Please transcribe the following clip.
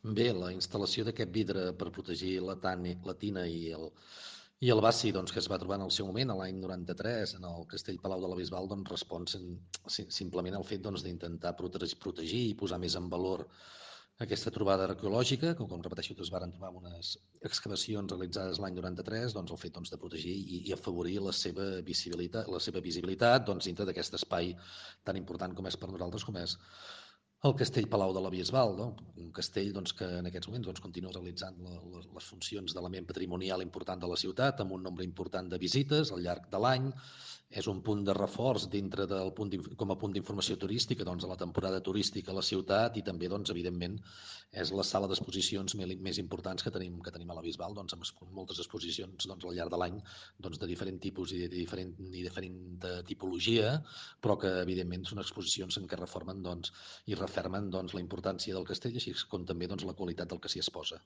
Bé, la instal·lació d'aquest vidre per protegir la tina i el bassi doncs, que es va trobar en el seu moment, l'any 93, en el Castell Palau de la Bisbal, doncs, respon simplement al fet doncs, d'intentar protegir i posar més en valor aquesta trobada arqueològica, que, com repeteixo, es varen trobar en unes excavacions realitzades l'any 93, doncs, el fet doncs, de protegir i afavorir la seva visibilitat doncs, dintre d'aquest espai tan important com és per nosaltres, com és el Castell Palau de la Bisbal, no? Un castell doncs, que en aquests moments doncs, continua realitzant les funcions d'element patrimonial important de la ciutat, amb un nombre important de visites al llarg de l'any. És un punt de reforç dintre del com a punt d'informació turística doncs, a la temporada turística a la ciutat i també, doncs, evidentment, és la sala d'exposicions més importants que tenim a la Bisbal, doncs, amb moltes exposicions doncs, al llarg de l'any doncs, de diferent tipus i diferent tipologia, però que evidentment són exposicions en què reformen doncs, i refermen doncs, la importància del castell, així com també doncs, la qualitat del que s'hi exposa.